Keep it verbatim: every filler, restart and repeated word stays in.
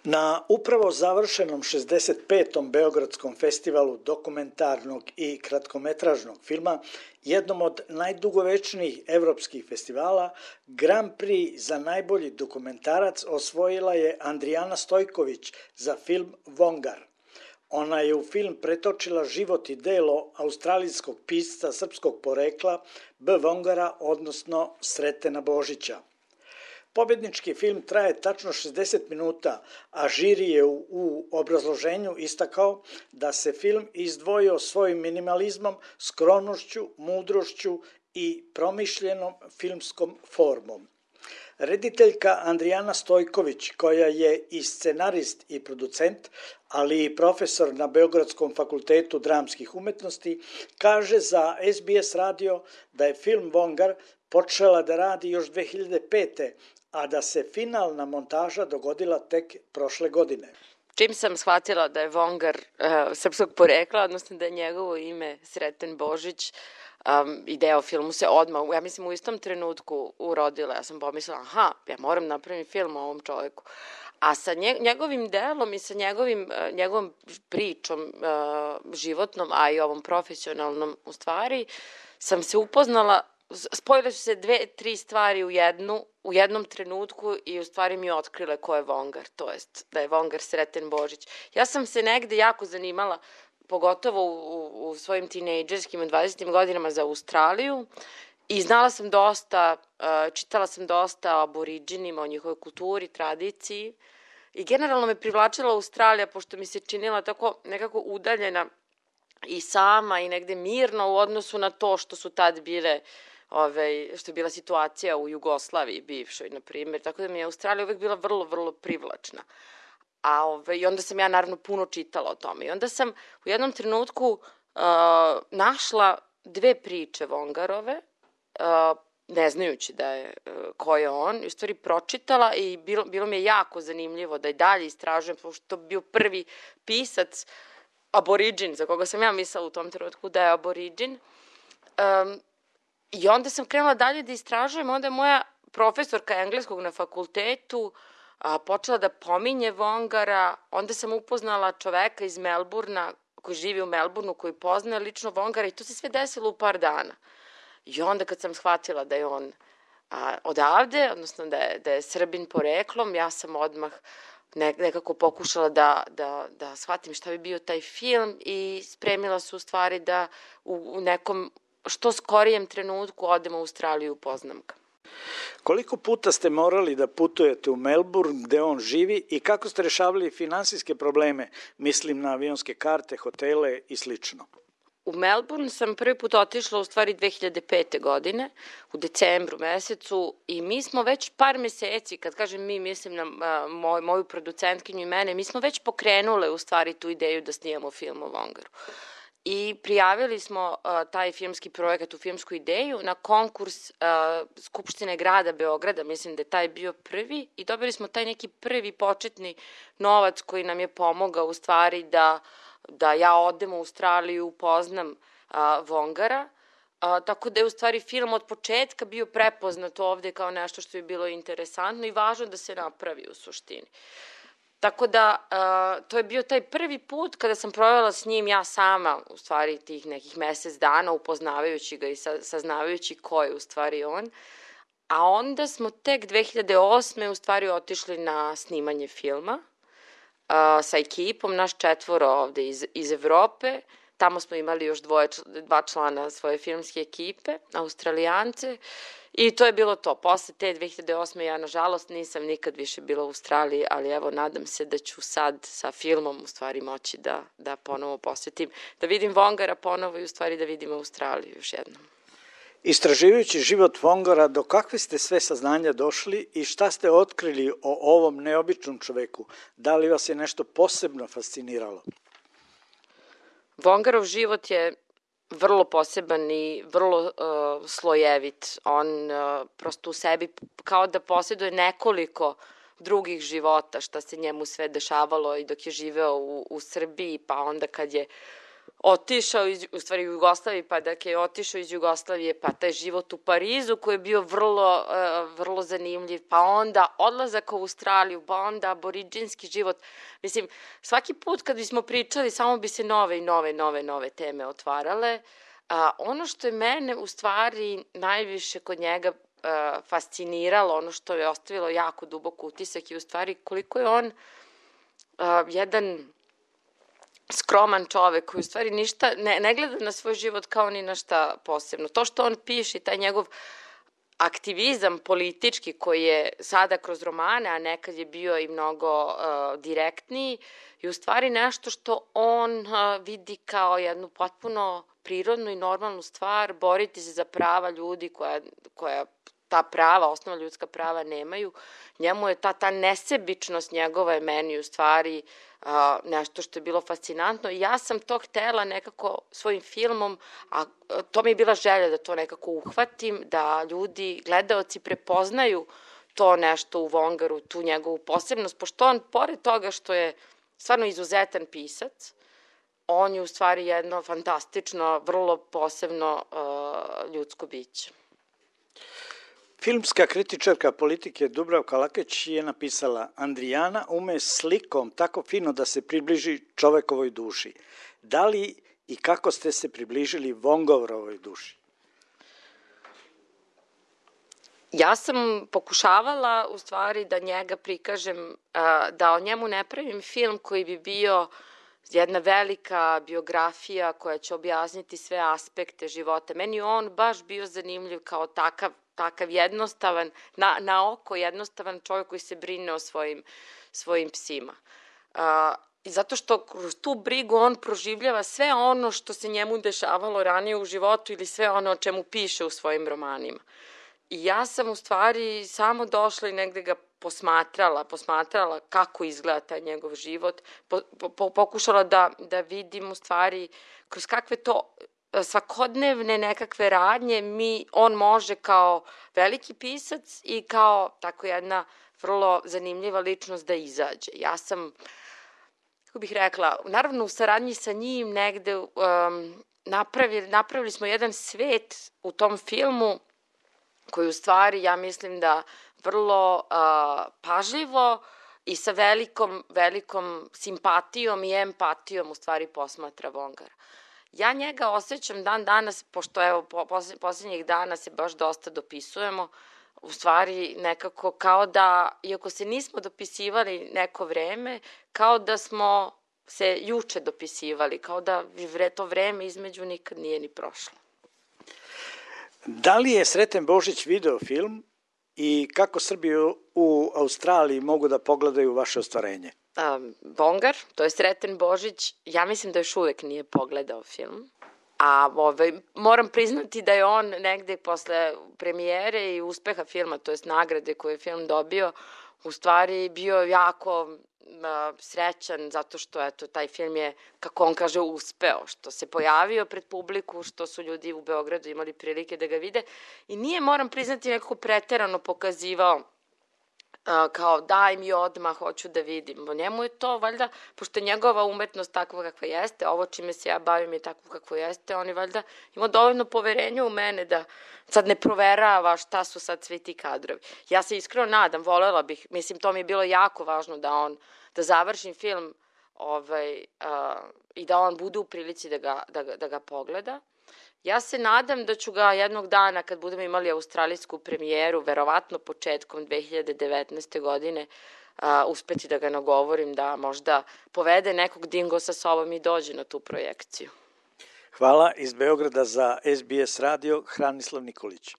Na upravo završenom šezdeset petom Beogradskom festivalu dokumentarnog i kratkometražnog filma, jednom od najdugovečnijih evropskih festivala, Grand Prix za najbolji dokumentarac osvojila je Andrijana Stojković za film Vongar. Ona je u film pretočila život i delo australijskog pisca srpskog porekla B. Vongara, odnosno Sretena Božića. Pobednički film traje tačno šezdeset minuta, a žiri je u, u obrazloženju istakao da se film izdvojio svojim minimalizmom, skromnošću, mudrošću i promišljenom filmskom formom. Rediteljka Andrijana Stojković, koja je i scenarist i producent, ali i profesor na Beogradskom fakultetu dramskih umetnosti, kaže za S B S radio da je film Vongar počela da radi još dve hiljade pete. a da se finalna montaža dogodila tek prošle godine. Čim sam shvatila da je Vongar uh, srpskog porekla, odnosno da je njegovo ime Sreten Božić, um, ideja o filmu se odmah, ja mislim u istom trenutku urodila. Ja sam pomislila, aha, ja moram napraviti film o ovom čoveku. A sa njegovim delom i sa njegovim, njegovom pričom uh, životnom, a i ovom profesionalnom u stvari, sam se upoznala. Spojile su se dve, tri stvari u jednu, u jednom trenutku i u stvari mi otkrile ko je Vongar, to jest da je Vongar Sreten Božić. Ja sam se negde jako zanimala, pogotovo u, u svojim tinejdžerskim dvadesetim godinama za Australiju i znala sam dosta, čitala sam dosta o aboriđinima, o njihovoj kulturi, tradiciji i generalno me privlačila Australija pošto mi se činila tako nekako udaljena i sama i negde mirno u odnosu na to što su tad bile Ove, što je bila situacija u Jugoslaviji bivšoj, na primjer, tako da mi je Australija uvek bila vrlo, vrlo privlačna. A ove, i onda sam ja naravno puno čitala o tome. I onda sam u jednom trenutku uh, našla dve priče Vongarove, uh, ne znajući da je, uh, ko je on, i u stvari pročitala i bilo, bilo mi je jako zanimljivo da i dalje istražujem, pošto to bio prvi pisac, aboriđin, za koga sam ja mislila u tom trenutku da je aboriđin. Um, I onda sam krenula dalje da istražujem, onda je moja profesorka engleskog na fakultetu a, počela da pominje Vongara, onda sam upoznala čoveka iz Melburna, koji živi u Melburnu, koji poznaje lično Vongara i to se sve desilo u par dana. I onda kad sam shvatila da je on a, odavde, odnosno da je, da je Srbin poreklom, ja sam odmah nekako pokušala da, da, da shvatim šta bi bio taj film i spremila se u stvari da u, u nekom što skorijem trenutku odem u Australiju i upoznam ga. Koliko puta ste morali da putujete u Melbourne gde on živi i kako ste rešavali finansijske probleme, mislim na avionske karte, hotele i slično? U Melbourne sam prvi put otišla u stvari dve hiljade pete. godine, u decembru mesecu i mi smo već par meseci, kad kažem mi, mislim na a, moj, moju producentkinju i mene, mi smo već pokrenule u stvari tu ideju da snijemo film o Vongaru. I prijavili smo uh, taj filmski projekat u filmsku ideju na konkurs uh, Skupštine grada Beograda, mislim da je taj bio prvi i dobili smo taj neki prvi početni novac koji nam je pomogao u stvari da, da ja odem u Australiju, upoznam uh, Vongara, uh, tako da je u stvari film od početka bio prepoznat ovde kao nešto što je bilo interesantno i važno da se napravi u suštini. Tako da, uh, to je bio taj prvi put kada sam provela s njim ja sama, u stvari tih nekih mesec dana, upoznavajući ga i sa, saznavajući ko je u stvari on. A onda smo tek dve hiljade osme u stvari otišli na snimanje filma uh, sa ekipom, naš četvoro ovde iz, iz Evrope. Tamo smo imali još dvoje, dva člana svoje filmske ekipe, Australijance. I to je bilo to. Posle te dve hiljade osme. ja, nažalost, nisam nikad više bila u Australiji, ali evo, nadam se da ću sad sa filmom u stvari moći da, da ponovo posvetim, da vidim Vongara ponovo i u stvari da vidim Australiju još jednom. Istraživajući život Vongara, do kakve ste sve saznanja došli i šta ste otkrili o ovom neobičnom čoveku? Da li vas je nešto posebno fasciniralo? Vongarov život je vrlo poseban i vrlo uh, slojevit. On uh, prosto u sebi kao da posjeduje nekoliko drugih života, šta se njemu sve dešavalo i dok je živeo u, u Srbiji, pa onda kad je otišao iz, u stvari u Jugoslaviji, pa dakle je otišao iz Jugoslavije, pa taj život u Parizu koji je bio vrlo, uh, vrlo zanimljiv, pa onda odlazak u Australiju, pa onda aboriđinski život. Mislim, svaki put kad bismo pričali, samo bi se nove i nove, nove, nove teme otvarale. A, ono što je mene u stvari najviše kod njega a, fasciniralo, ono što je ostavilo jako dubok utisak je u stvari koliko je on a, jedan skroman čovek koji u stvari ništa, ne, ne gleda na svoj život kao ni na šta posebno. To što on piše, taj njegov aktivizam politički koji je sada kroz romane, a nekad je bio i mnogo uh, direktniji, je u stvari nešto što on uh, vidi kao jednu potpuno prirodnu i normalnu stvar, boriti se za prava ljudi koja, koja ta prava, osnovna ljudska prava nemaju. Njemu je ta, ta nesebičnost njegova je meni u stvari uh, nešto što je bilo fascinantno. I ja sam to htela nekako svojim filmom, a to mi je bila želja da to nekako uhvatim, da ljudi, gledaoci prepoznaju to nešto u Vongaru, tu njegovu posebnost, pošto on, pored toga što je stvarno izuzetan pisac, on je u stvari jedno fantastično, vrlo posebno uh, ljudsko biće. Filmska kritičarka politike Dubravka Lakeć je napisala: Andrijana ume slikom tako fino da se približi čovekovoj duši. Da li i kako ste se približili Vongovrovoj duši? Ja sam pokušavala u stvari da njega prikažem, da o njemu ne pravim film koji bi bio jedna velika biografija koja će objasniti sve aspekte života. Meni on baš bio zanimljiv kao takav, takav jednostavan, na, na oko jednostavan čovjek koji se brine o svojim, svojim psima. Uh, I zato što kroz tu brigu on proživljava sve ono što se njemu dešavalo ranije u životu ili sve ono o čemu piše u svojim romanima. I ja sam u stvari samo došla i negde ga posmatrala, posmatrala kako izgleda taj njegov život, po, po, pokušala da, da vidim u stvari kroz kakve to svakodnevne nekakve radnje mi, on može kao veliki pisac i kao tako jedna vrlo zanimljiva ličnost da izađe. Ja sam, kako bih rekla, naravno u saradnji sa njim negde um, napravili, napravili smo jedan svet u tom filmu koji u stvari, ja mislim da vrlo uh, pažljivo i sa velikom, velikom simpatijom i empatijom u stvari posmatra Vongara. Ja njega osjećam dan danas, pošto evo posljednjih dana se baš dosta dopisujemo, u stvari nekako kao da, iako se nismo dopisivali neko vreme, kao da smo se juče dopisivali, kao da to vreme između nikad nije ni prošlo. Da li je Sreten Božić video film i kako Srbi u Australiji mogu da pogledaju vaše ostvarenje? Um, Vongar, to je Sreten Božić, ja mislim da još uvek nije pogledao film. A ovaj, moram priznati da je on negde posle premijere i uspeha filma, to jest nagrade koju je film dobio, u stvari bio jako uh, srećan zato što eto, taj film je, kako on kaže, uspeo, što se pojavio pred publiku, što su ljudi u Beogradu imali prilike da ga vide i nije, moram priznati, nekako preterano pokazivao Uh, kao daj mi odmah, hoću da vidim. O njemu je to, valjda, pošto je njegova umetnost takva kakva jeste, ovo čime se ja bavim je takvo kakvo jeste, on je valjda imao dovoljno poverenja u mene da sad ne proverava šta su sad svi ti kadrovi. Ja se iskreno nadam, volela bih, mislim, to mi je bilo jako važno da on, da završim film ovaj, uh, i da on bude u prilici da ga, da, da ga pogleda. Ja se nadam da ću ga jednog dana, kad budemo imali australijsku premijeru, verovatno početkom dve hiljade devetnaeste. godine, a, uspeti da ga nagovorim da možda povede nekog dingo sa sobom i dođe na tu projekciju. Hvala. Iz Beograda za S B S radio, Hranislav Nikolić.